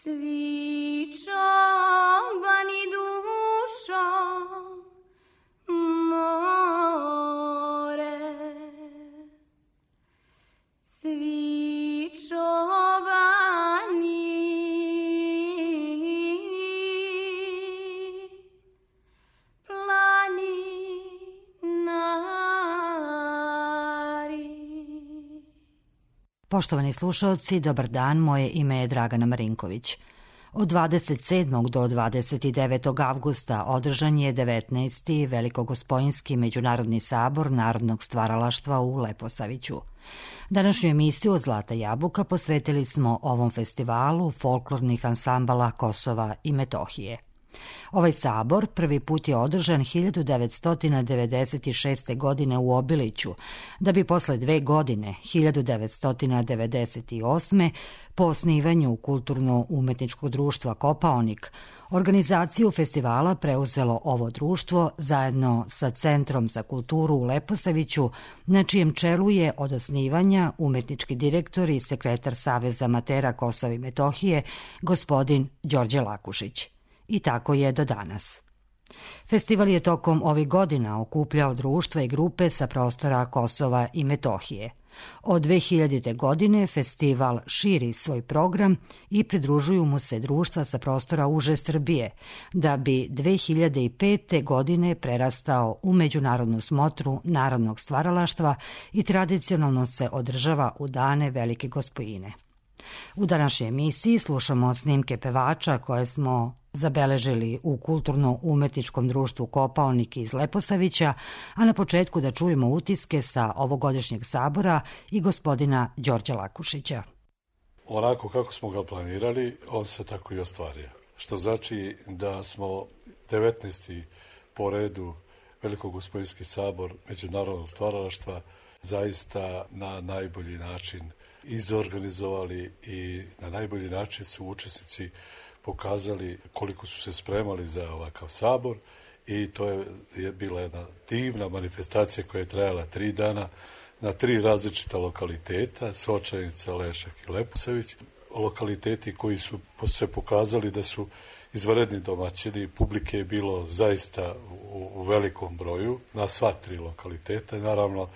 Svi čobani dušo more, svi čobani Poštovani slušalci, dobar dan, moje ime je Dragana Marinković. Od 27. do 29. avgusta održan je 19. Velikogospojinski međunarodni sabor Narodnog stvaralaštva u Leposaviću. Današnju emisiju od Zlata jabuka posvetili smo ovom festivalu folklornih ansambala Kosova i Metohije. Ovaj sabor prvi put je održan 1996. godine u Obiliću, da bi posle 2 godine, 1998. po osnivanju Kulturno-umetničkog društva Kopaonik, organizaciju festivala preuzelo ovo društvo zajedno sa Centrom za kulturu u Leposaviću, na čijem čelu je od osnivanja umetnički direktor i sekretar Saveza amatera Kosova i Metohije, gospodin Đorđe Lakušić. I tako je do danas. Festival je tokom ovih godina okupljao društva i grupe sa prostora Kosova i Metohije. Od 2000. godine festival širi svoj program i pridružuju mu se društva sa prostora uže Srbije, da bi 2005. godine prerastao u međunarodnu smotru narodnog stvaralaštva i tradicionalno se održava u dane Velike Gospojine. U današnjoj emisiji slušamo snimke pevača koje smo zabeležili u Kulturno-umetničkom društvu Kopaonik iz Leposavića, a na početku da čujemo utiske sa ovogodišnjeg sabora i gospodina Đorđa Lakušića. Onako kako smo ga planirali, on se tako i ostvario. Što znači da smo 19. po redu Velikogospojinski sabor Međunarodnog stvaralaštva zaista na najbolji način izorganizovali i na najbolji način su učesnici pokazali koliko su se spremali za ovakav sabor i to je bila jedna divna manifestacija koja je trajala 3 dana na 3 različita lokaliteta, Sočanica, Lešak i Leposavić. Lokaliteti koji su se pokazali da su izvanredni domaćini, publike je bilo zaista u velikom broju na sva 3 lokaliteta. Naravno,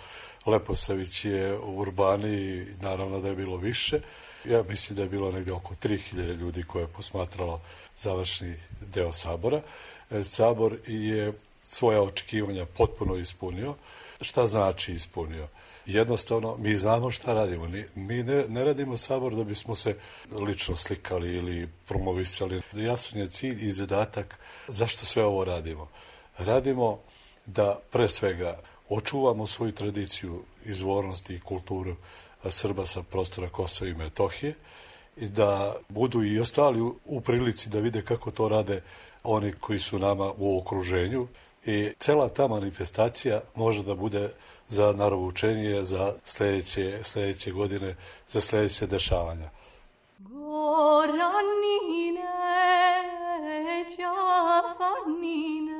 Leposavić je u Urbani, naravno da je bilo više. Ja mislim da je bilo negdje oko 3000 ljudi koje je posmatralo završni deo sabora. Sabor je svoja očekivanja potpuno ispunio. Šta znači ispunio? Jednostavno, mi znamo šta radimo. Mi ne radimo sabor da bismo se lično slikali ili promovisali. Jasan je cilj i zadatak zašto sve ovo radimo. Radimo da pre svega očuvamo svoju tradiciju, izvornosti i kulturu Srba sa prostora Kosova i Metohije i da budu i ostali u prilici da vide kako to rade oni koji su nama u okruženju i cela ta manifestacija može da bude za narovučenje za sljedeće godine, za sljedeće dešavanja. Goranine, Đafanine,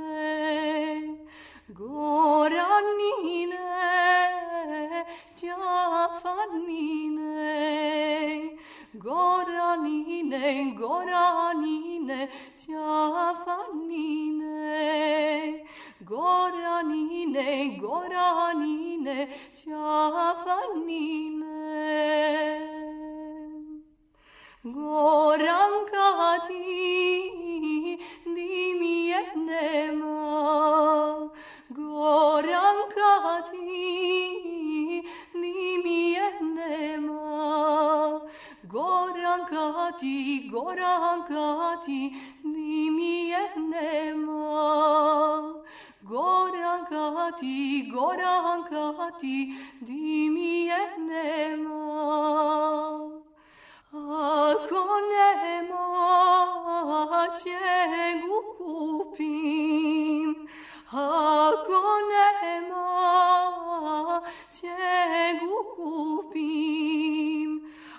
Goranine, Đafanine, Goranine, Goranine, Đafanine, Goranine, Goranine, Đafanine. Goranka ti, di mi je nema, Goranka ti, di mi je nema, Goranka ti, di mi je nema, Goranka ti, di mi je nema. Ako nema, čegu kupim, ako nema, čegu kupim,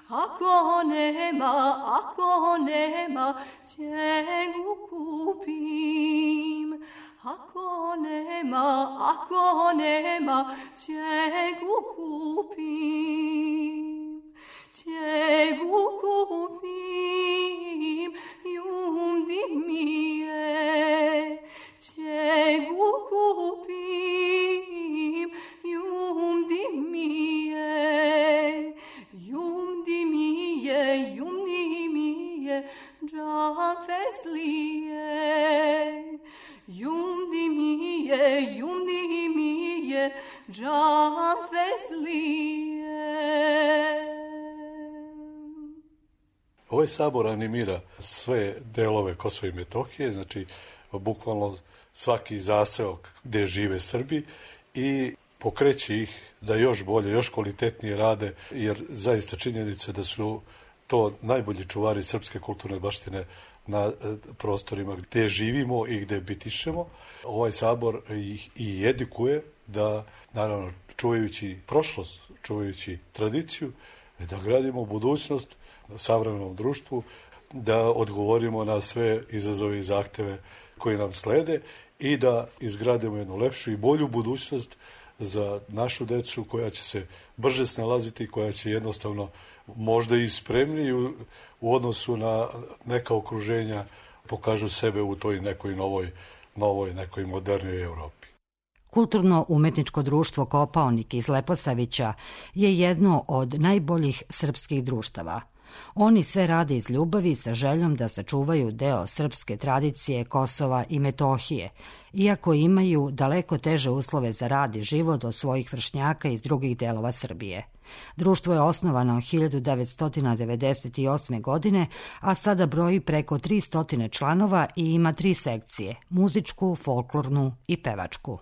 ako nema, čegu kupim, ako nema, čegu kupim. Čegu kupim, feslie, già feslie. Jumdi mie, già feslie. Ovaj sabor animira sve delove Kosova i Metohije, znači bukvalno svaki zaseok gde žive Srbi i pokreće ih da još bolje, još kvalitetnije rade, jer zaista činjenica da su to najbolji čuvari srpske kulturne baštine na prostorima gde živimo i gde bitišemo. Ovaj sabor ih i edukuje da, naravno, čuvajući prošlost, čuvajući tradiciju, da gradimo budućnost u savremenom društvu, da odgovorimo na sve izazove i zahteve koji nam slede i da izgradimo jednu lepšu i bolju budućnost za našu decu koja će se brže snalaziti, koja će jednostavno možda i spremniji u odnosu na neka okruženja pokažu sebe u toj nekoj novoj nekoj modernoj Evropi. Kulturno-umetničko društvo Kopaonik iz Leposavića je jedno od najboljih srpskih društava. Oni sve rade iz ljubavi sa željom da sačuvaju deo srpske tradicije Kosova i Metohije, iako imaju daleko teže uslove za rad i život od svojih vršnjaka iz drugih delova Srbije. Društvo je osnovano 1998. godine, a sada broji preko 300 članova i ima 3 sekcije, muzičku, folklornu i pevačku.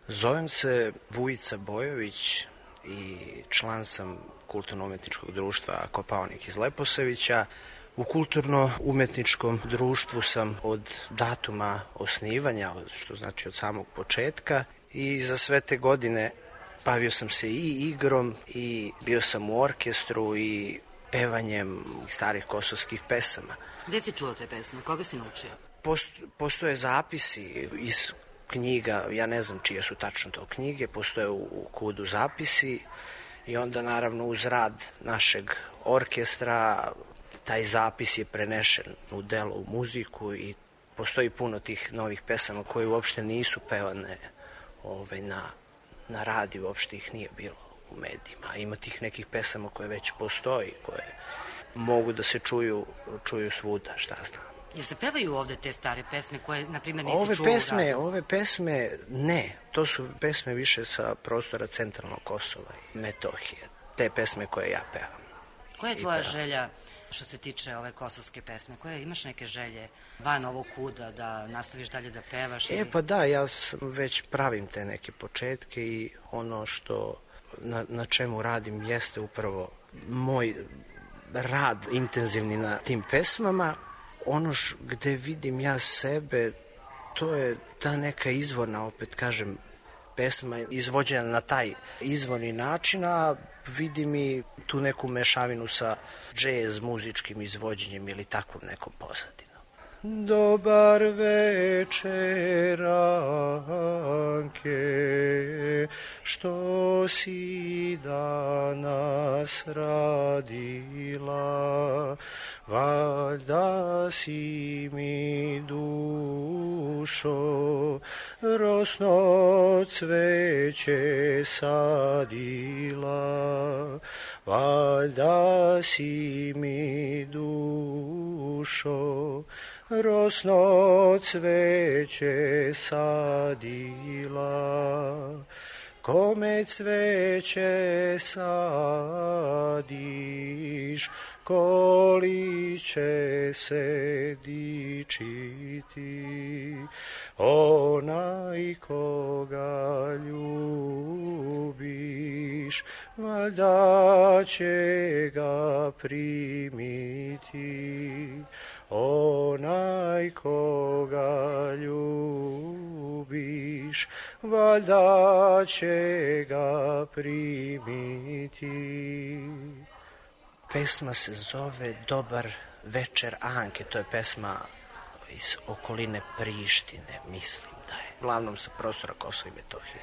Zovem se Vujica Bojović i član sam Kulturno-umetničkog društva Kopaonik iz Leposavića. U kulturno-umetničkom društvu sam od datuma osnivanja, što znači od samog početka, i za sve te godine bavio sam se i igrom i bio sam u orkestru i pevanjem starih kosovskih pesama. Gde si čuo te pesme? Koga si naučio? Postoje zapisi iz knjiga, ja ne znam čije su tačno to knjige, postoje u KUD-u zapisi i onda naravno uz rad našeg orkestra taj zapis je prenešen u delo, u muziku i postoji puno tih novih pesama koje uopšte nisu pevane na radiju, uopšte ih nije bilo u medijima. Ima tih nekih pesama koje već postoji, koje mogu da se čuju svuda, šta znam. Jel se pevaju ovde te stare pesme koje, na primjer, nisi čuo u radiju? Ove pesme, ne. To su pesme više sa prostora centralnog Kosova i Metohije. Te pesme koje ja pevam. Koja je tvoja želja što se tiče ove kosovske pesme? Imaš neke želje van ovog KUD-a da nastaviš dalje da pevaš? Pa da, ja već pravim te neke početke i ono što na čemu radim jeste upravo moj rad intenzivni na tim pesmama. Ono gde vidim ja sebe, to je ta neka izvorna, opet kažem, pesma izvođena na taj izvorni način, a vidim i tu neku mešavinu sa džez muzičkim izvođenjem ili takvom nekom pozadinom. Dobar večer, Anke, što si danas radila, valjda si mi dušo rosno cveće sadila, valjda si mi dušo rosno cveće sadila. Kome cveće sadiš, koli će se dičiti, onaj koga ljubiš, valjda će ga primiti. Onaj koga ljubiš, valjda će ga primiti. Pesma se zove Dobar večer, Anke. To je pesma iz okoline Prištine, mislim da je. Uglavnom sa prostora Kosova i Metohije.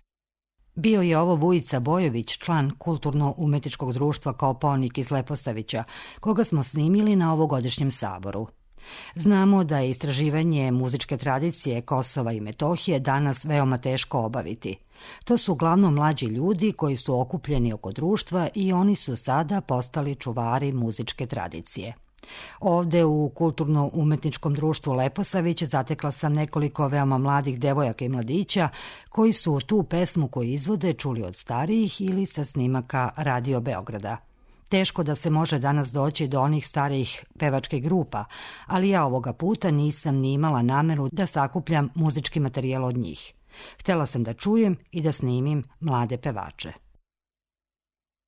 Bio je ovo Vujica Bojović, član Kulturno-umetničkog društva Kopaonik iz Leposavića, koga smo snimili na ovogodišnjem saboru. Znamo da je istraživanje muzičke tradicije Kosova i Metohije danas veoma teško obaviti. To su uglavnom mlađi ljudi koji su okupljeni oko društva i oni su sada postali čuvari muzičke tradicije. Ovde u Kulturno-umetničkom društvu Leposavić zatekla sam nekoliko veoma mladih devojaka i mladića koji su tu pesmu koju izvode čuli od starijih ili sa snimaka Radio Beograda. Teško da se može danas doći do onih starijih pevačkih grupa, ali ja ovoga puta nisam ni imala nameru da sakupljam muzički materijal od njih. Htela sam da čujem i da snimim mlade pevače.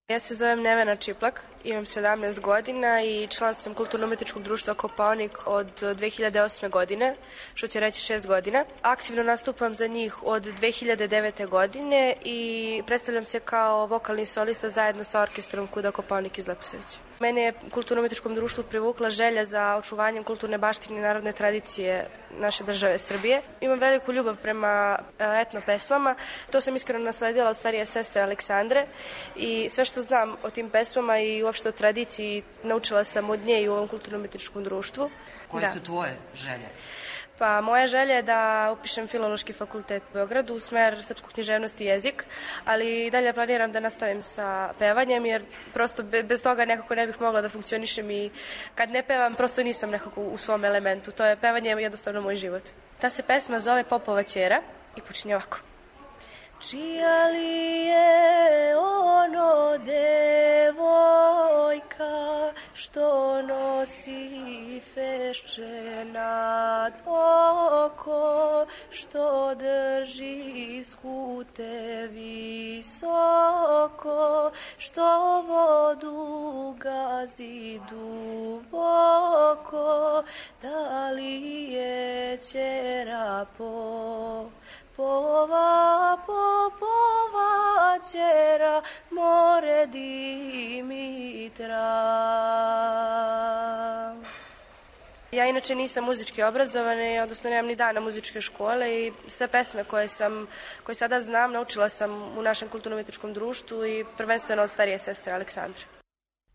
Ja se zovem Nevena Čiplak, imam 17 godina i član sam Kulturno-umetničkog društva Kopaonik od 2008. godine, što će reći 6 godina. Aktivno nastupam za njih od 2009. godine i predstavljam se kao vokalni solista zajedno sa orkestrom Kuda Kopaonik iz Leposavića. Mene je Kulturno-umetničkom društvu privukla želja za očuvanjem kulturne baštine i narodne tradicije naše države Srbije. Imam veliku ljubav prema etno pesmama. To sam iskreno nasledila od starije sestre Aleksandre i sve što znam o tim pesmama i uopšte o tradiciji naučila sam od nje i u ovom Kulturno-umetničkom društvu. Koje su tvoje želje? Pa moja želja je da upišem Filološki fakultet u Beogradu u smer srpsku književnost i jezik, ali i dalje planiram da nastavim sa pevanjem jer prosto bez toga nekako ne bih mogla da funkcionišem i kad ne pevam prosto nisam nekako u svom elementu. To je pevanje jednostavno moj život. Ta se pesma zove Popova ćera i počinje ovako. Čija li je ono devojka što nosi fešče nad oko, što drži skute visoko, što vodu gazi duboko, da li je ćera Popova ćera, more Dimitra. Ja inače nisam muzički obrazovana, odnosno nemam ni dana muzičke škole i sve pesme koje sada znam naučila sam u našem Kulturno-umetničkom društvu i prvenstveno od starije sestre Aleksandre.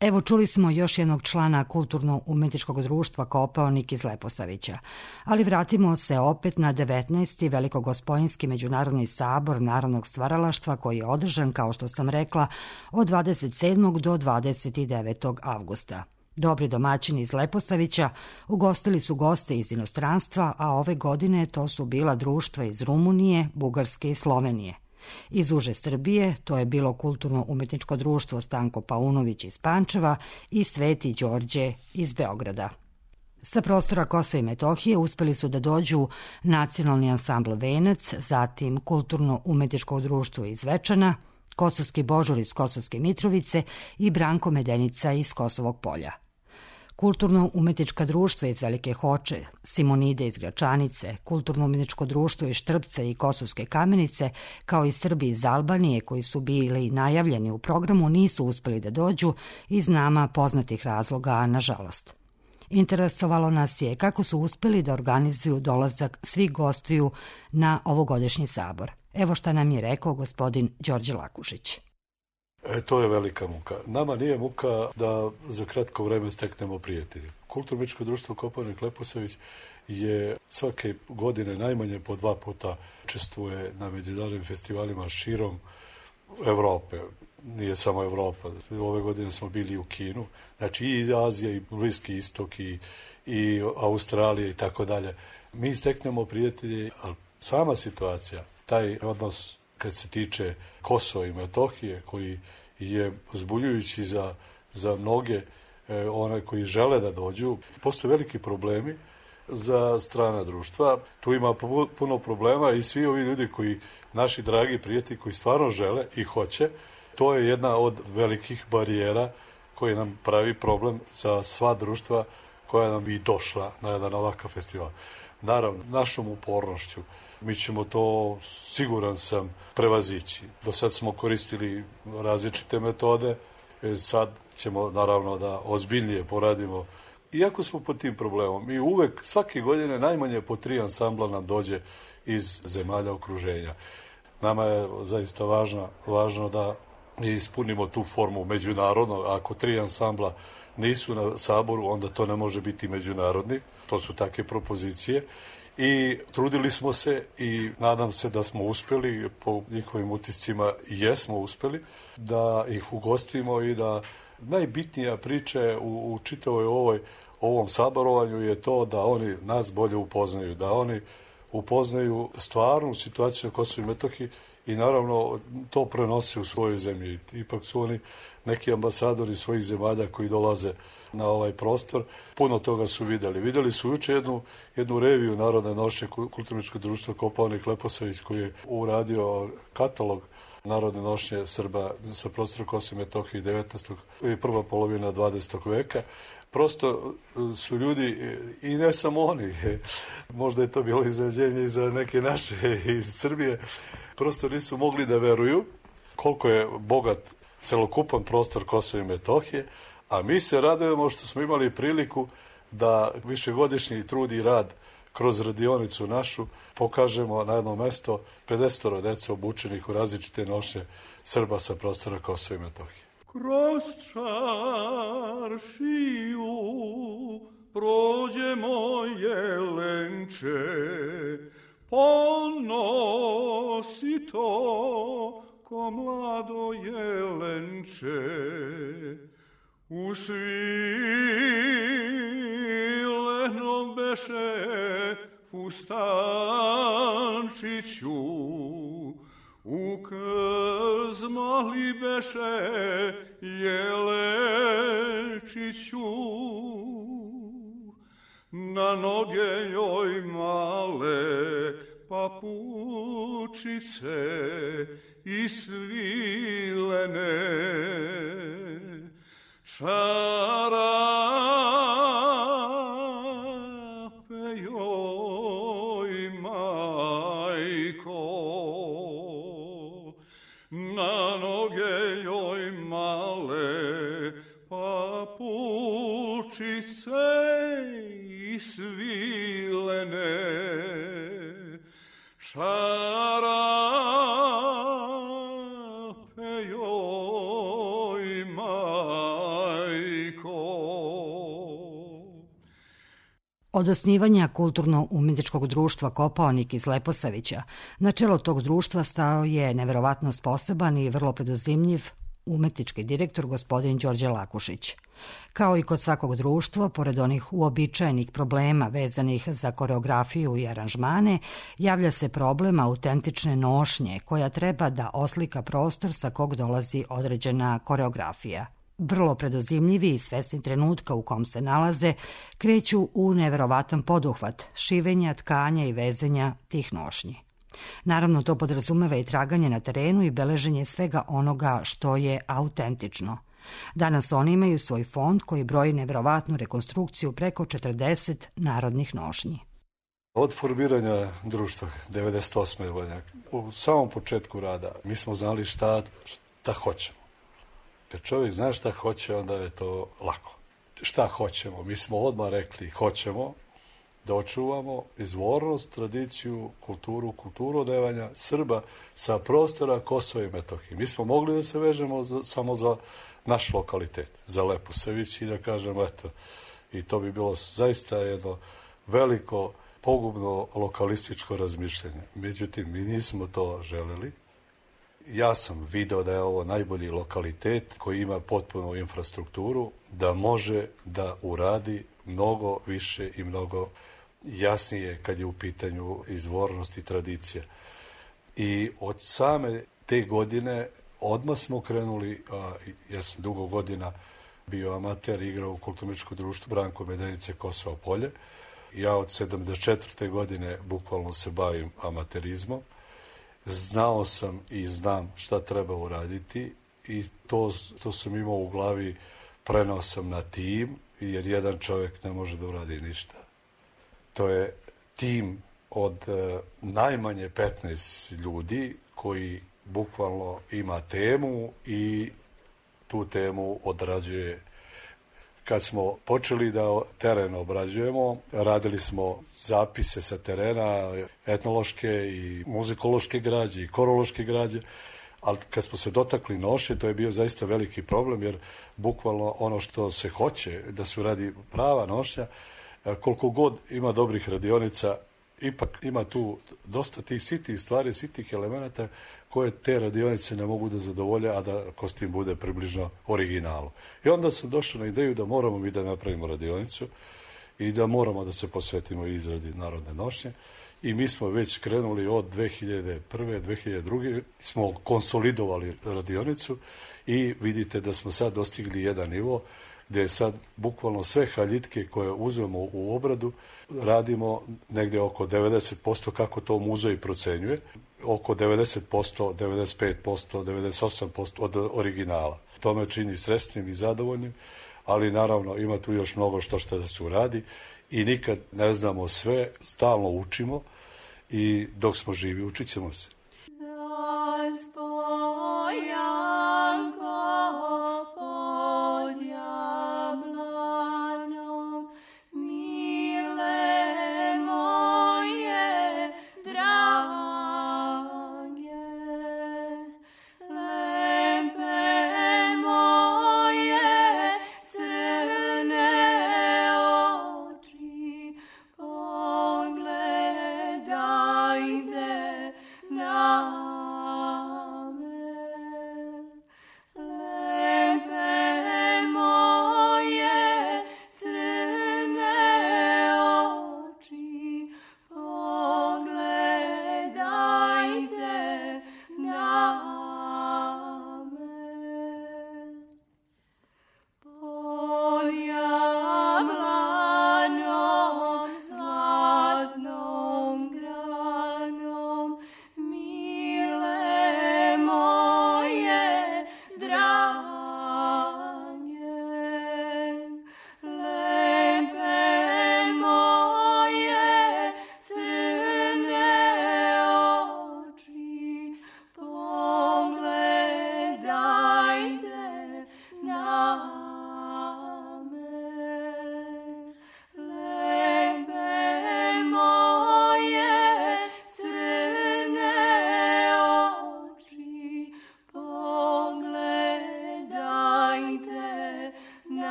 Evo čuli smo još jednog člana Kulturno-umetničkog društva Kopaonik iz Leposavića, ali vratimo se opet na 19. Velikogospojinski međunarodni sabor narodnog stvaralaštva koji je održan, kao što sam rekla, od 27. do 29. avgusta. Dobri domaćini iz Leposavića ugostili su goste iz inostranstva, a ove godine to su bila društva iz Rumunije, Bugarske i Slovenije. Iz uže Srbije to je bilo Kulturno-umetničko društvo Stanko Paunović iz Pančeva i Sveti Đorđe iz Beograda. Sa prostora Kosova i Metohije uspeli su da dođu Nacionalni ansambl Venac, zatim Kulturno-umetničko društvo iz Zvečana, Kosovski Božur iz Kosovske Mitrovice i Branko Medenica iz Kosovog Polja. Kulturno-umetnička društva iz Velike Hoče, Simonide iz Gračanice, Kulturno-umetničko društvo iz Štrpca i Kosovske Kamenice, kao i Srbi iz Albanije koji su bili najavljeni u programu, nisu uspeli da dođu iz nama poznatih razloga, nažalost. Interesovalo nas je kako su uspeli da organizuju dolazak svih gostiju na ovogodišnji sabor. Evo šta nam je rekao gospodin Đorđe Lakušić. To je velika muka. Nama nije muka da za kratko vreme steknemo prijatelje. Kulturno-umetničko društvo Kopaonik Leposavić je svake godine najmanje po 2 puta učestvuje na međunarodnim festivalima širom Evrope. Nije samo Evropa. Ove godine smo bili u Kinu. Znači i Azija, i Bliski istok, i Australija i tako dalje. Mi steknemo prijatelje, ali sama situacija, taj odnos kad se tiče Kosova i Metohije, koji je zbuljujući za mnoge one koji žele da dođu, postoje veliki problemi za strana društva. Tu ima puno problema i svi ovi ljudi koji, naši dragi prijatelji, koji stvarno žele i hoće, to je jedna od velikih barijera koja nam pravi problem za sva društva koja nam bi došla na jedan ovakav festival. Naravno, našom upornošću mi ćemo to, siguran sam, prevazići. Do sad smo koristili različite metode, sad ćemo naravno da ozbiljnije poradimo. Iako smo pod tim problemom, mi uvek, svake godine, najmanje po 3 ansambla nam dođe iz zemalja okruženja. Nama je zaista važno da ispunimo tu formu međunarodno. Ako 3 ansambla nisu na saboru, onda to ne može biti međunarodni. To su takve propozicije. I trudili smo se i nadam se da smo uspeli, po njihovim utiscima jesmo uspeli, da ih ugostimo i da najbitnija priča u čitavoj ovom saborovanju je to da oni nas bolje upoznaju, da oni upoznaju stvarnu situaciju na Kosovu i Metohiji i naravno to prenose u svojoj zemlji. Ipak su oni neki ambasadori svojih zemalja koji dolaze na ovaj prostor. Puno toga su videli. Videli su juče jednu reviju Narodne nošnje Kulturno-umetničkog društva Kopaonik Leposavić koji je uradio katalog narodne nošnje Srba sa prostora Kosova i Metohije 19. i prva polovina 20. veka. Prosto su ljudi, i ne samo oni, možda je to bilo iznenađenje i za neke naše iz Srbije, prosto nisu mogli da veruju koliko je bogat celokupan prostor Kosova i Metohije, a mi se radujemo što smo imali priliku da višegodišnji trud i rad kroz radionicu našu pokažemo na jedno mesto 50 dece obučenih u različite nošnje Srba sa prostora Kosova i Metohije. Kroz čaršiju prođemo jelenče, ponosi to ko mlado jelenče. U svileno beše fustančiću, u krzmali beše jelečiću. Na noge joj male papučice i svilene, čarape joj majko, na noge joj male papučice i svilene, čarape joj majko. Od osnivanja Kulturno-umetničkog društva Kopaonik iz Leposavića, na čelo tog društva stao je neverovatno sposoban i vrlo preduzimljiv umetnički direktor gospodin Đorđe Lakušić. Kao i kod svakog društva, pored onih uobičajenih problema vezanih za koreografiju i aranžmane, javlja se problem autentične nošnje koja treba da oslika prostor sa kog dolazi određena koreografija. Vrlo preduzimljivi i svesni trenutka u kom se nalaze, kreću u neverovatan poduhvat šivenja, tkanja i vezenja tih nošnji. Naravno, to podrazumeva i traganje na terenu i beleženje svega onoga što je autentično. Danas oni imaju svoj fond koji broji neverovatnu rekonstrukciju preko 40 narodnih nošnji. Od formiranja društva 98. godine, u samom početku rada, mi smo znali šta hoćemo. Kad čovjek zna šta hoće, onda je to lako. Šta hoćemo? Mi smo odmah rekli hoćemo da očuvamo izvornost, tradiciju, kulturu odevanja Srba sa prostora Kosova i Metohije. Mi smo mogli da se vežemo samo za naš lokalitet, za Leposavić i da kažemo eto, i to bi bilo zaista jedno veliko, pogubno lokalističko razmišljanje. Međutim, mi nismo to želeli. Ja sam video da je ovo najbolji lokalitet koji ima potpunu infrastrukturu, da može da uradi mnogo više i mnogo jasnije kad je u pitanju izvornost i tradicija. I od same te godine odmah smo krenuli, ja sam dugo godina bio amater, igrao u Kulturno-umetničkom društvu Branko Medenice Kosovo Polje. Ja od 74. godine bukvalno se bavim amaterizmom. Znao sam i znam šta treba uraditi i to sam imao u glavi, prenao sam na tim, jer jedan čovjek ne može da uradi ništa. To je tim od najmanje 15 ljudi koji bukvalno ima temu i tu temu odrađuje. Kad smo počeli da teren obrađujemo, radili smo zapise sa terena, etnološke i muzikološke građe i korološke građe, ali kad smo se dotakli nošnje, to je bio zaista veliki problem, jer bukvalno ono što se hoće da se uradi prava nošnja, koliko god ima dobrih radionica, ipak ima tu dosta tih sitih stvari, sitih elemenata koje te radionice ne mogu da zadovolje, a da kostim bude približno originalu. I onda sam došao na ideju da moramo mi da napravimo radionicu i da moramo da se posvetimo izradi narodne nošnje. I mi smo već krenuli od 2001. 2002. smo konsolidovali radionicu i vidite da smo sad dostigli jedan nivo gde je sad bukvalno sve haljitke koje uzmemo u obradu radimo negde oko 90%, kako to muzej procenjuje, oko 90%, 95%, 98% od originala. To me čini sretnim i zadovoljnim, ali naravno ima tu još mnogo što da se uradi i nikad ne znamo sve, stalno učimo i dok smo živi učit ćemo se.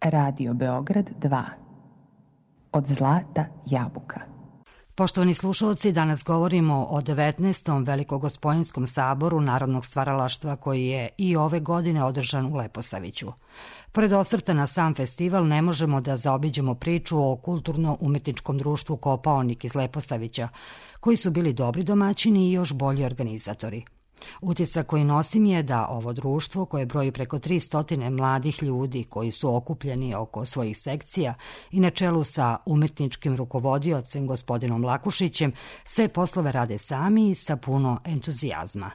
Radio Beograd 2. Od zlata jabuka. Poštovani slušalci, danas govorimo o 19. Velikogospojinskom saboru Narodnog stvaralaštva koji je i ove godine održan u Leposaviću. Pored osvrta na sam festival ne možemo da zaobiđemo priču o kulturno-umetničkom društvu Kopaonik iz Leposavića, koji su bili dobri domaćini i još bolji organizatori. Utisak koji nosim je da ovo društvo, koje broji preko 300 mladih ljudi koji su okupljeni oko svojih sekcija i na čelu sa umetničkim rukovodiocem gospodinom Lakušićem, sve poslove rade sami i sa puno entuzijazma.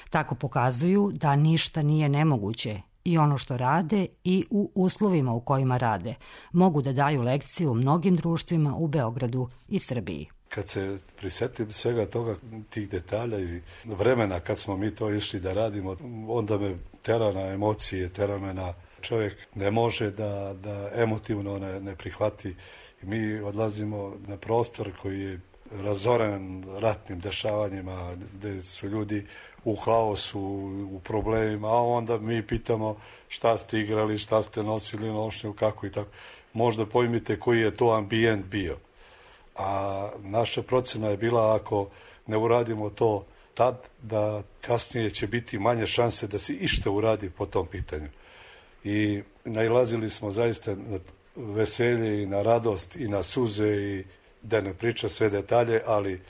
Tako pokazuju da ništa nije nemoguće i ono što rade i u uslovima u kojima rade mogu da daju lekciju mnogim društvima u Beogradu i Srbiji. Kad se prisetim svega toga, tih detalja i vremena kad smo mi to išli da radimo, onda me tera na emocije, tera me na čovjek ne može da emotivno ne prihvati. I mi odlazimo na prostor koji je razoren ratnim dešavanjima, gde su ljudi u haosu, u problemima, a onda mi pitamo šta ste igrali, šta ste nosili nošnju, kako i tako. Možda pojmite koji je to ambijent bio. A naša procena je bila ako ne uradimo to tad, da kasnije će biti manje šanse da se išta uradi po tom pitanju. I nailazili smo zaista na veselje i na radost i na suze i da ne priča sve detalje, ali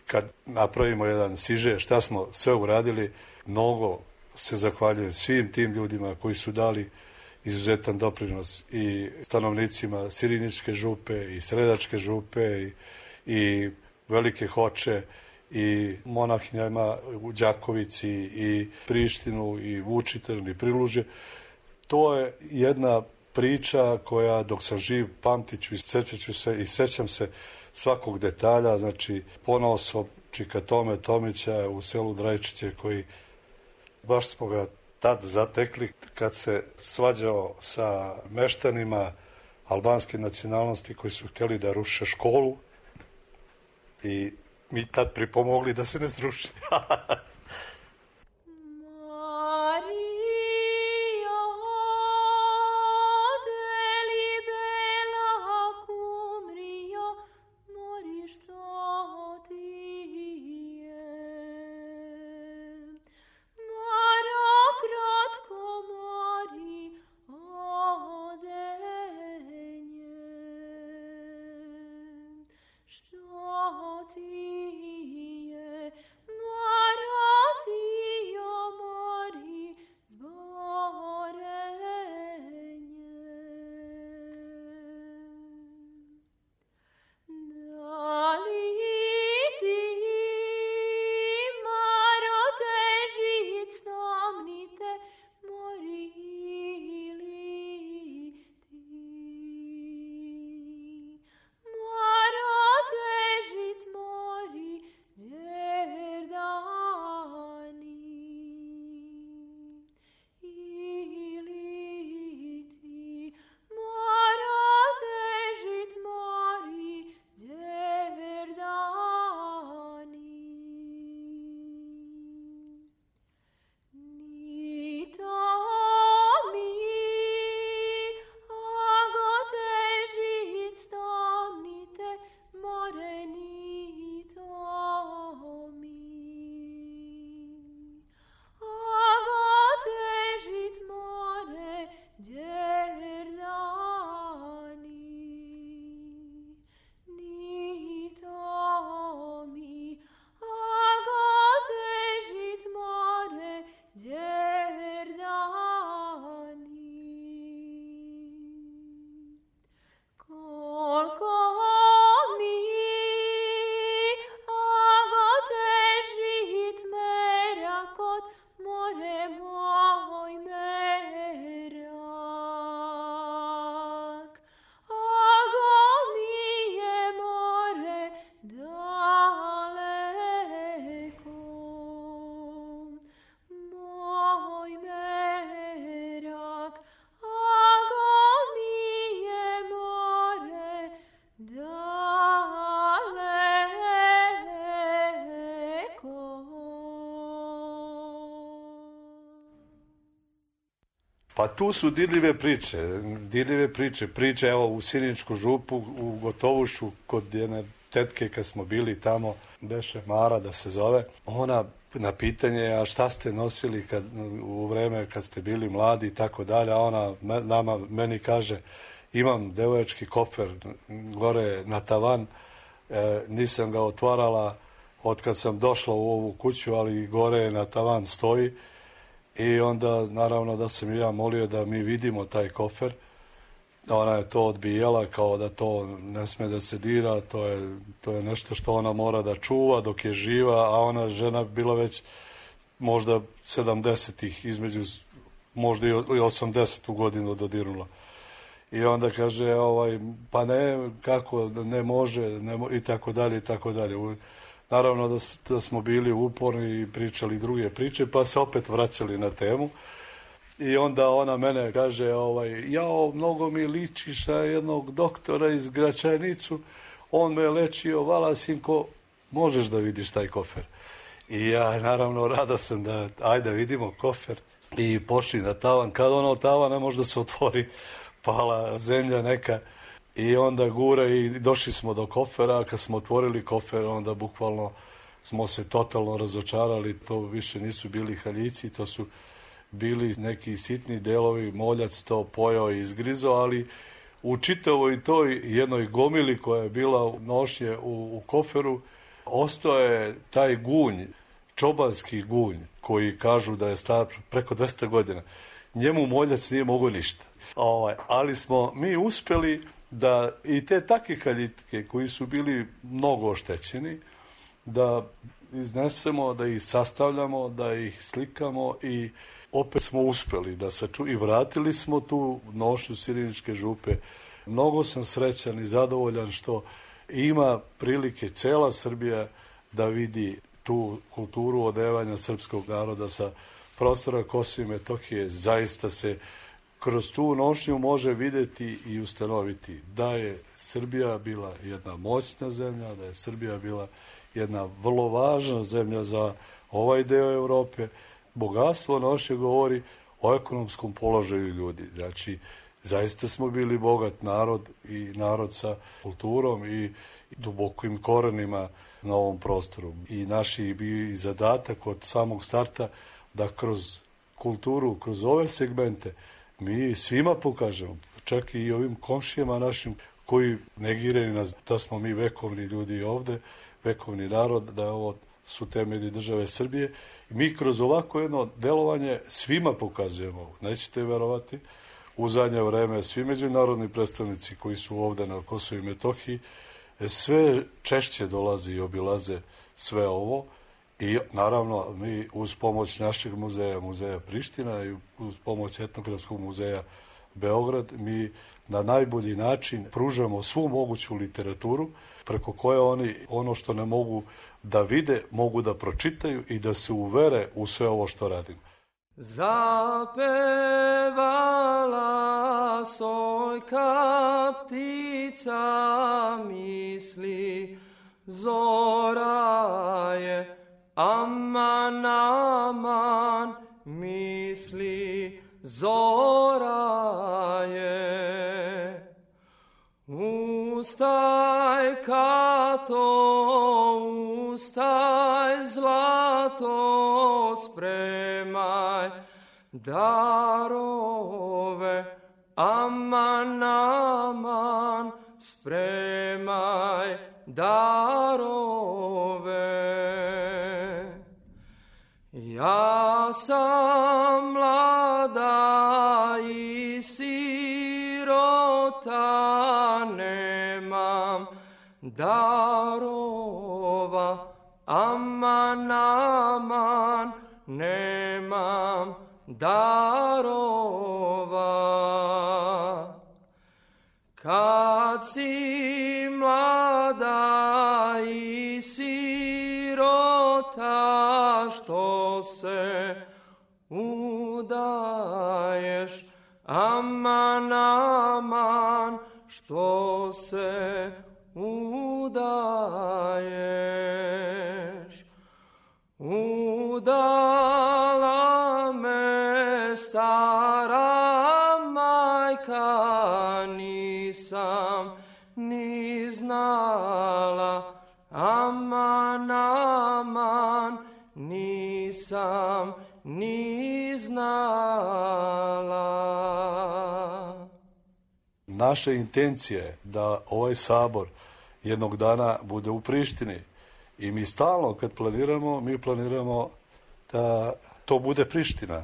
kad napravimo jedan siže šta smo sve uradili, mnogo se zahvaljujem svim tim ljudima koji su dali izuzetan doprinos i stanovnicima Sirinjičke župe i Sredačke župe i Velike Hoče i monahinjama u Đakovici i Prištinu i Vučitrn i Prilužje. To je jedna priča koja dok sam živ pamtiću i sećaću se i sećam se svakog detalja, znači ponosom čika Tome Tomića u selu Drajčiće koji baš smo ga tad zatekli kad se svađao sa meštanima albanske nacionalnosti koji su htjeli da ruše školu i mi tad pripomogli da se ne sruši. Pa tu su dirljive priče, evo u Sirinjsku župu, u Gotovušu, kod jedne tetke kad smo bili tamo, beše Mara da se zove, ona na pitanje, a šta ste nosili u vreme kad ste bili mladi i tako dalje, a ona meni kaže, imam devojački kofer gore na tavan, nisam ga otvarala od kad sam došla u ovu kuću, ali gore na tavan stoji. I onda naravno da sam ja molio da mi vidimo taj kofer. Ona je to odbijala kao da to ne sme da se dira, to je nešto što ona mora da čuva dok je živa, a ona žena bila već možda 70-ih, između možda i 80. godinu dodirnula. I onda kaže, pa ne, kako, ne može, i tako dalje, i tako dalje. Naravno da smo bili uporni i pričali druge priče, pa se opet vraćali na temu. I onda ona mene kaže, jao, mnogo mi ličiš na jednog doktora iz Gračanicu, on me lečio, vala sinko, možeš da vidiš taj kofer. I ja naravno rada sam da, ajde vidimo kofer. I pošli na tavan, kad ono tavan ne može da se otvori, pala zemlja neka. I onda gure i došli smo do kofera, a kad smo otvorili kofer, onda bukvalno smo se totalno razočarali, to više nisu bili haljici, to su bili neki sitni delovi, moljac to pojao i izgrizao, ali u čitavoj toj jednoj gomili koja je bila nošnje u koferu, ostao je taj gunj čobanski gunj koji kažu da je star preko 200 godina, njemu moljac nije mogao ništa. Ali smo mi uspeli da i te takve kaljitke koji su bili mnogo oštećeni, da iznesemo, da ih sastavljamo, da ih slikamo i opet smo uspeli da i vratili smo tu nošnju Siriničke župe. Mnogo sam srećan i zadovoljan što ima prilike cela Srbija da vidi tu kulturu odevanja srpskog naroda sa prostora Kosova i Metohije. Zaista se kroz tu nošnju može videti i ustanoviti da je Srbija bila jedna moćna zemlja, da je Srbija bila jedna vrlo važna zemlja za ovaj deo Evrope. Bogatstvo nošnje govori o ekonomskom položaju ljudi. Znači, zaista smo bili bogat narod i narod sa kulturom i dubokim korenima na ovom prostoru. I naš je bio i zadatak od samog starta da kroz kulturu, kroz ove segmente mi svima pokažemo, čak i ovim komšijama našim koji negiraju nas da smo mi vekovni ljudi ovde, vekovni narod, da ovo su temelji države Srbije. Mi kroz ovako jedno delovanje svima pokazujemo, nećete verovati, u zadnje vreme svi međunarodni predstavnici koji su ovde na Kosovu i Metohiji sve češće dolaze i obilaze sve ovo i naravno mi uz pomoć našeg muzeja, Muzeja Priština i uz pomoć Etnografskog muzeja Beograd, mi na najbolji način pružamo svu moguću literaturu preko koje oni ono što ne mogu da vide, mogu da pročitaju i da se uvere u sve ovo što radimo. Zapevala sojka ptica misli, zora je aman, aman misli, zora je. Ustaj Kato, ustaj zlato, spremaj darove, aman, aman, spremaj darove. Ja sam mlada i sirota, nemam darova, aman, aman, nemam darova. Kad si mlada i sirota, što se udaješ, aman, aman, što se udaješ. Udala me stara majka, nisam ni znala, aman, aman, nisam ni znala. Naša intencija je da ovaj sabor jednog dana bude u Prištini i mi stalno kad planiramo, mi planiramo da to bude Priština.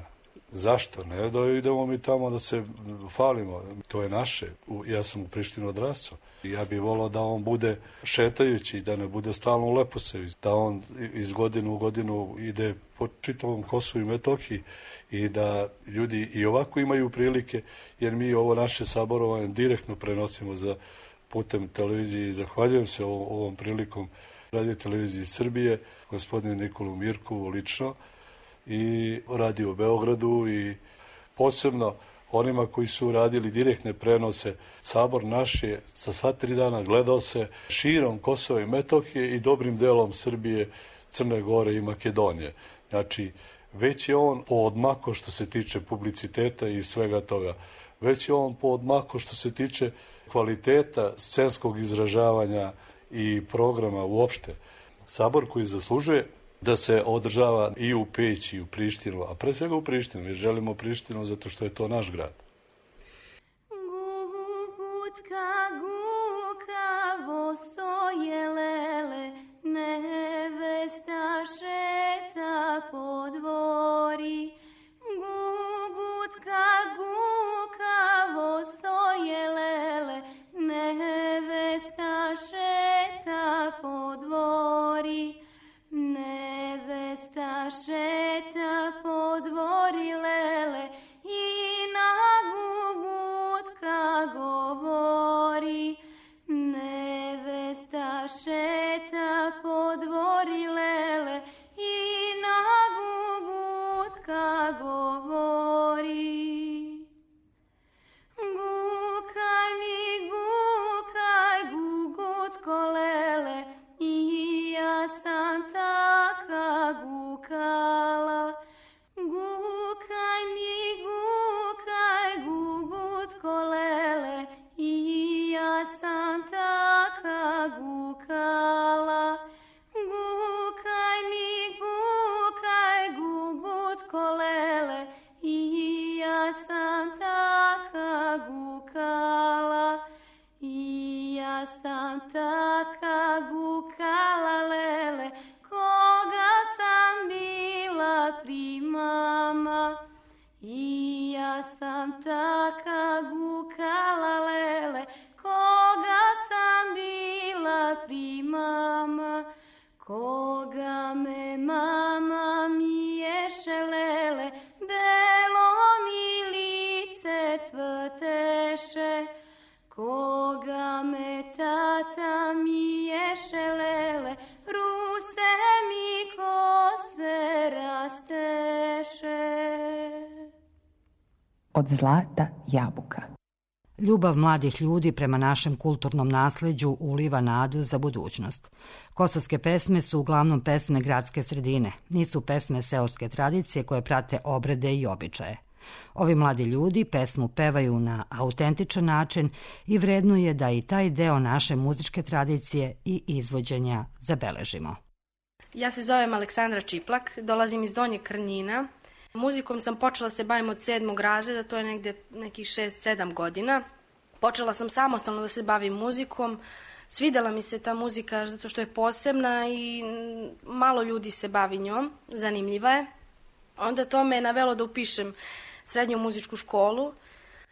Zašto? Ne da idemo mi tamo da se falimo. To je naše. Ja sam u Prištini odrastao. Ja bih volao da on bude šetajući, da ne bude stalno u Leposaviću, da on iz godine u godinu ide po čitavom Kosovu i Metohiji i da ljudi i ovako imaju prilike, jer mi ovo naše saborovanje direktno prenosimo za putem televizije i zahvaljujem se ovom prilikom Radio Televiziji Srbije, gospodinu Nikolu Mirku lično i Radio Beogradu i posebno onima koji su radili direktne prenose. Sabor naš je za sva 3 dana gledao se širom Kosova i Metohije i dobrim delom Srbije, Crne Gore i Makedonije. Znači, već je on poodmako što se tiče publiciteta i svega toga. Već je on poodmako što se tiče kvaliteta scenskog izražavanja i programa uopšte. Sabor koji zaslužuje da se održava i u Peć i u Prištinu, a pre svega u Prištinu. Mi želimo Prištinu zato što je to naš grad. Gugutka gukavo soje lele, nevesta šeta primama, koga me mama miješelele, belo mi lice cvrteše, koga me tata miješelele, ruse mi kose rasteše. Od zlata jabuka. Ljubav mladih ljudi prema našem kulturnom nasleđu uliva nadu za budućnost. Kosovske pesme su uglavnom pesme gradske sredine, nisu pesme seoske tradicije koje prate obrede i običaje. Ovi mladi ljudi pesmu pevaju na autentičan način i vredno je da i taj deo naše muzičke tradicije i izvođenja zabeležimo. Ja se zovem Aleksandra Čiplak, dolazim iz Donjeg Krnjina. Muzikom sam počela se bavim od 7. razreda, to je negde nekih 6-7 godina. Počela sam samostalno da se bavim muzikom. Svidela mi se ta muzika zato što je posebna i malo ljudi se bavi njom, zanimljiva je. Onda to me navelo da upišem srednju muzičku školu.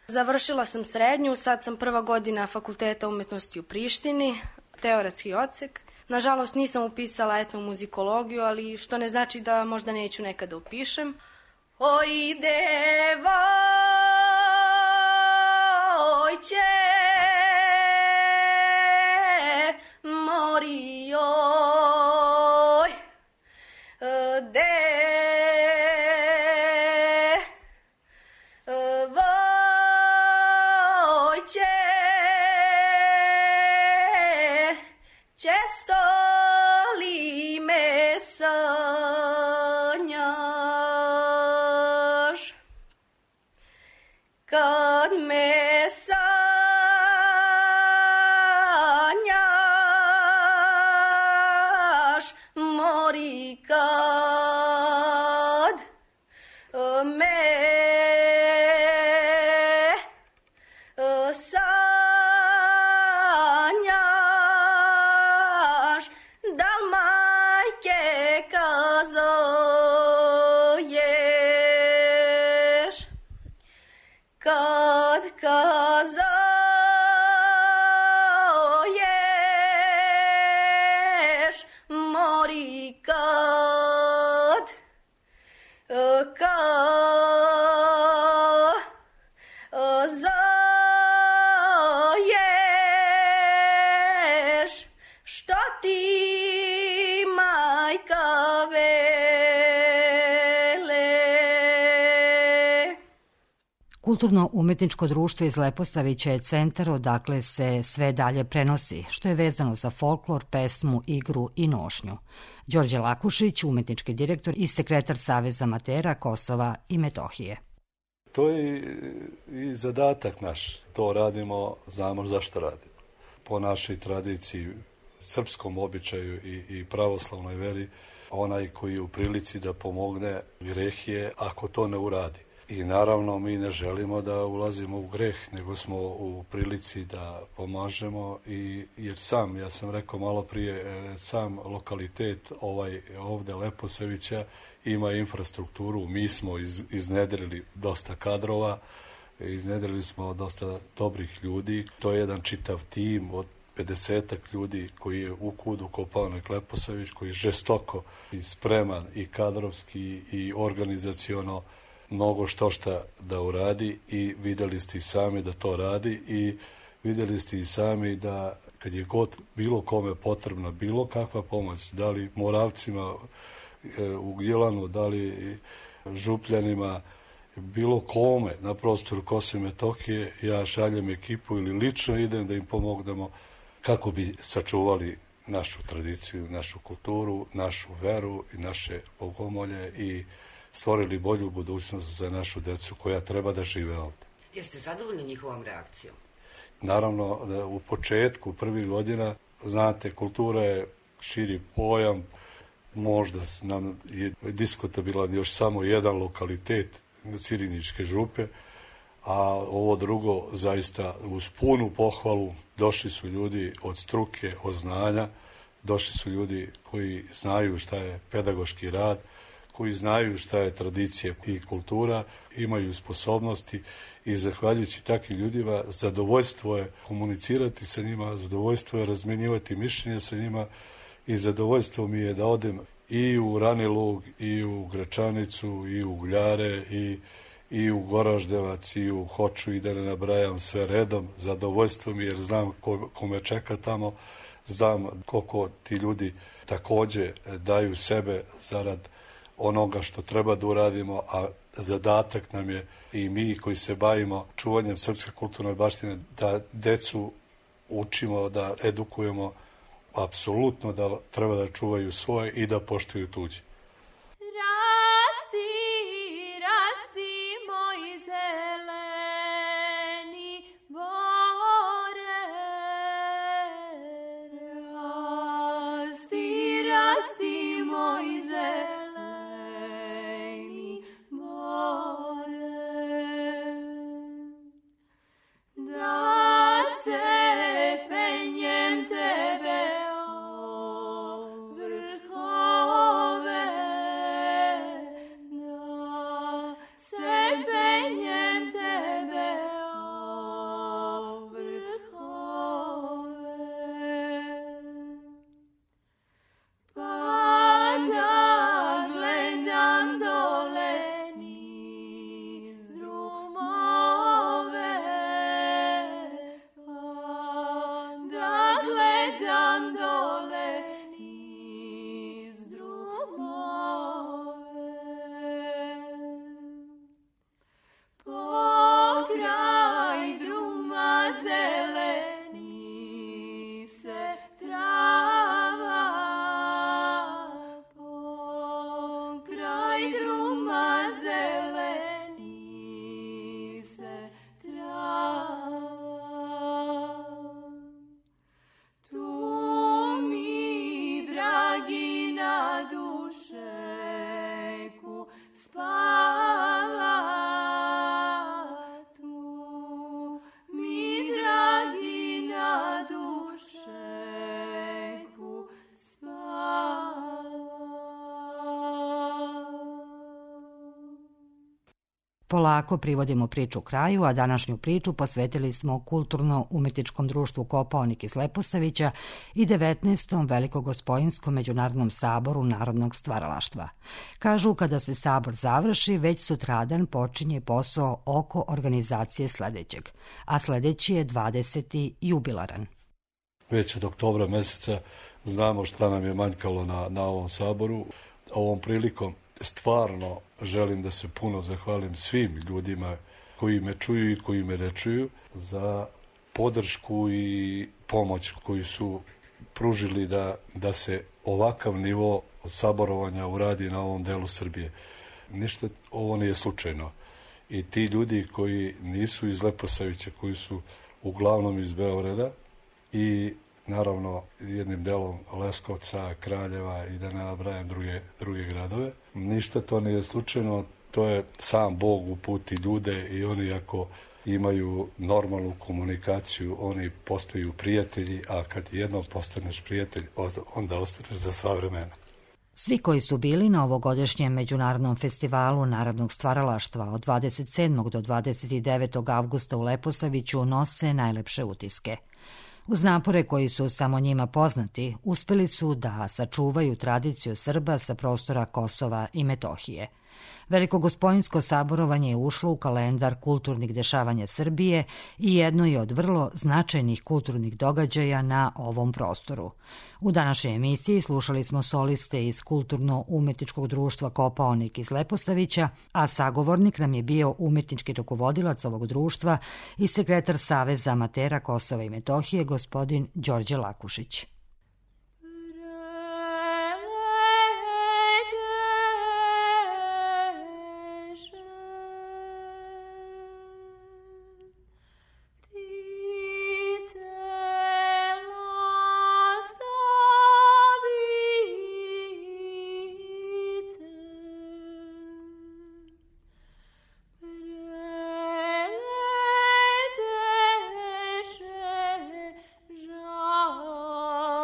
Završila sam srednju, sad sam 1. godina Fakulteta umetnosti u Prištini, teoretski odsek. Nažalost nisam upisala etnomuzikologiju, ali što ne znači da možda neću nekada upišem. Oj devojče, mori oj, devojče, često li me sanjaš, kad me sanjaš, mori kad me sanjaš, da majke kazuješ, kad kazuješ, mori kad kazuješ, što ti majka vele. Kulturno-umetničko društvo iz Leposavića je centar odakle se sve dalje prenosi, što je vezano za folklor, pesmu, igru i nošnju. Đorđe Lakušić, umetnički direktor i sekretar Saveza amatera Kosova i Metohije. To je i zadatak naš. To radimo, znamo zašto radimo. Po našoj tradiciji, srpskom običaju i pravoslavnoj veri, onaj koji je u prilici da pomogne greh je ako to ne uradi. I naravno mi ne želimo da ulazimo u greh, nego smo u prilici da pomažemo, jer ja sam rekao malo prije, sam lokalitet ovde Leposavića ima infrastrukturu, mi smo iznedrili dosta kadrova, iznedrili smo dosta dobrih ljudi, to je jedan čitav tim od 50-ak ljudi koji je u KUD-u Kopaonik Leposavić, koji je žestoko i spreman i kadrovski i organizaciono mnogo šta da uradi i videli ste i sami da to radi i videli ste i sami da kad je god bilo kome potrebna bilo kakva pomoć, da li Moravcima u Gnjilanu, da li Župljanima, bilo kome na prostoru Kosova i Metohije, ja šaljem ekipu ili lično idem da im pomognemo kako bi sačuvali našu tradiciju, našu kulturu, našu veru i naše bogomolje i stvorili bolju budućnost za našu decu koja treba da žive ovde. Jeste zadovoljni njihovom reakcijom? Naravno, da u početku, prvih godina, znate, kultura je širi pojam, možda nam je diskutabilan još samo jedan lokalitet Siriničke župe, a ovo drugo zaista uz punu pohvalu došli su ljudi od struke, od znanja, došli su ljudi koji znaju šta je pedagoški rad, koji znaju šta je tradicija i kultura, imaju sposobnosti i zahvaljujući takvim ljudima zadovoljstvo je komunicirati sa njima, zadovoljstvo je razmenjivati mišljenje sa njima i zadovoljstvo mi je da odem i u Rani Lug, i u Gračanicu, i u Uljare, i u Goraždevac, i u Hoču, i da ne nabrajam sve redom. Zadovoljstvo mi jer znam ko me čeka tamo, znam koliko ti ljudi takođe daju sebe zarad onoga što treba da uradimo, a zadatak nam je i mi koji se bavimo čuvanjem srpske kulturne baštine da decu učimo, da edukujemo apsolutno da treba da čuvaju svoje i da poštuju tuđe. Polako privodimo priču kraju, a današnju priču posvetili smo Kulturno-umetničkom društvu Kopaonik iz Leposavića i 19. Velikogospojinskom međunarodnom saboru narodnog stvaralaštva. Kažu, kada se sabor završi, već sutradan počinje posao oko organizacije sledećeg, a sledeći je 20. jubilaran. Već od oktobra meseca znamo šta nam je manjkalo na ovom saboru. Ovom prilikom stvarno želim da se puno zahvalim svim ljudima koji me čuju i koji me ne čuju za podršku i pomoć koju su pružili da se ovakav nivo saborovanja uradi na ovom delu Srbije. Ništa ovo nije slučajno. I ti ljudi koji nisu iz Leposavića, koji su uglavnom iz Beograda i naravno jednim delom Leskovca, Kraljeva i da ne nabrajam druge gradove. Ništa to nije slučajno, to je sam Bog uputi ljude i oni ako imaju normalnu komunikaciju, oni postaju prijatelji, a kad jednom postaneš prijatelj, onda ostaneš za sva vremena. Svi koji su bili na ovogodišnjem Međunarodnom festivalu narodnog stvaralaštva od 27. do 29. avgusta u Leposaviću nose najlepše utiske. Uz napore koji su samo njima poznati, uspeli su da sačuvaju tradiciju Srba sa prostora Kosova i Metohije. Velikogospoinsko saborovanje je ušlo u kalendar kulturnih dešavanja Srbije i jedno je od vrlo značajnih kulturnih događaja na ovom prostoru. U današnjoj emisiji slušali smo soliste iz Kulturno-umetničkog društva Kopaonik iz Leposavića, a sagovornik nam je bio umetnički rukovodilac ovog društva i sekretar Saveza amatera Kosova i Metohije, gospodin Đorđe Lakušić. Oh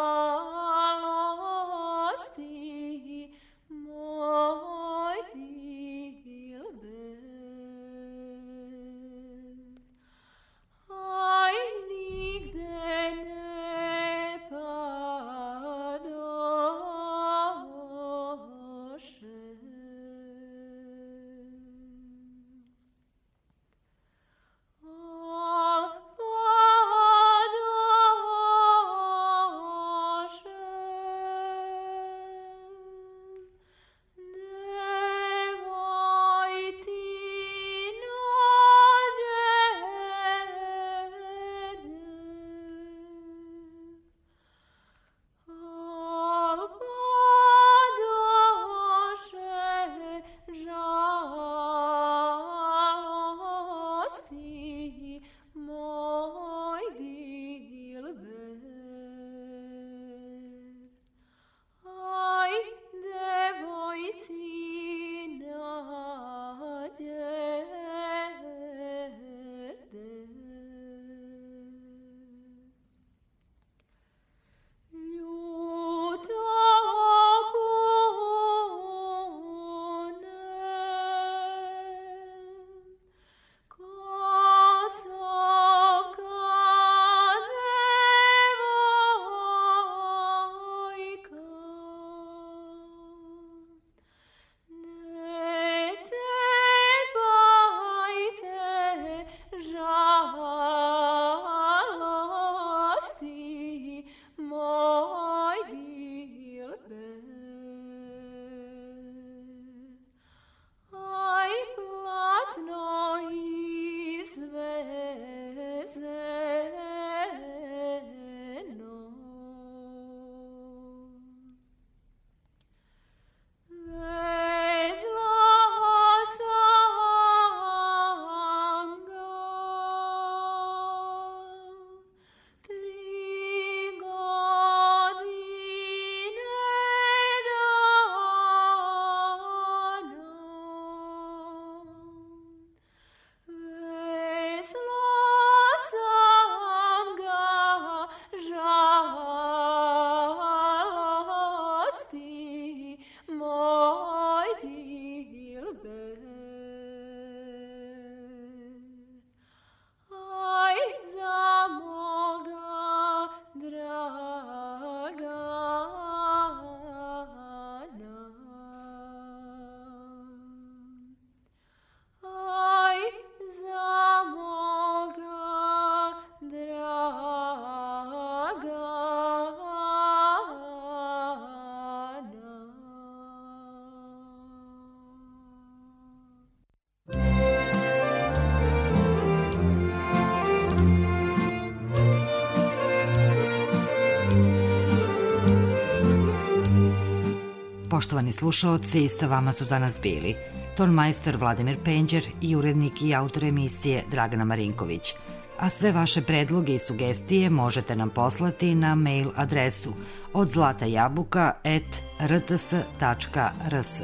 Poštovani slušaoci, sa vama su danas bili tonmajstor Vladimir Penđer i urednik i autor emisije Dragana Marinković. A sve vaše predloge i sugestije možete nam poslati na mail adresu odzlatajabuka@rts.rs.